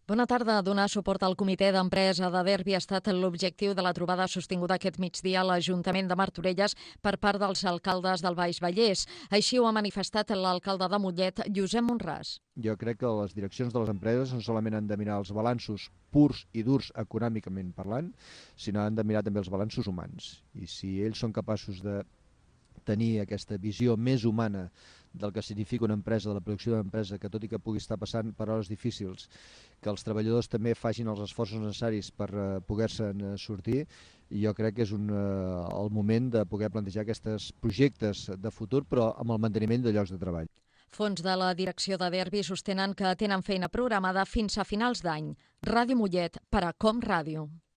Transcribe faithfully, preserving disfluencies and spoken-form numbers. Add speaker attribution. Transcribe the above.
Speaker 1: Bona tarda. Donar suport al comitè d'empresa de Derbi ha estat l'objectiu de la trobada sostinguda aquest migdia a l'Ajuntament de Martorelles per part dels alcaldes del Baix Vallès. Així ho ha manifestat l'alcalde de Mollet, Josep Monràs.
Speaker 2: Jo crec que les direccions de les empreses no solament han de mirar els balanços purs i durs econòmicament parlant, sinó han de mirar també els balanços humans. I si ells són capaços de tenir aquesta visió més humana del que significa una empresa, de la producció d'una empresa, que tot i que pugui estar passant per hores difícils, que els treballadors també facin els esforços necessaris per uh, poder-se'n uh, sortir, i jo crec que és un, uh, el moment de poder plantejar aquests projectes de futur, però amb el manteniment de llocs de treball.
Speaker 1: Fons de la direcció de Derbi sostenen que tenen feina programada fins a finals d'any. Ràdio Mollet, per a Com Ràdio.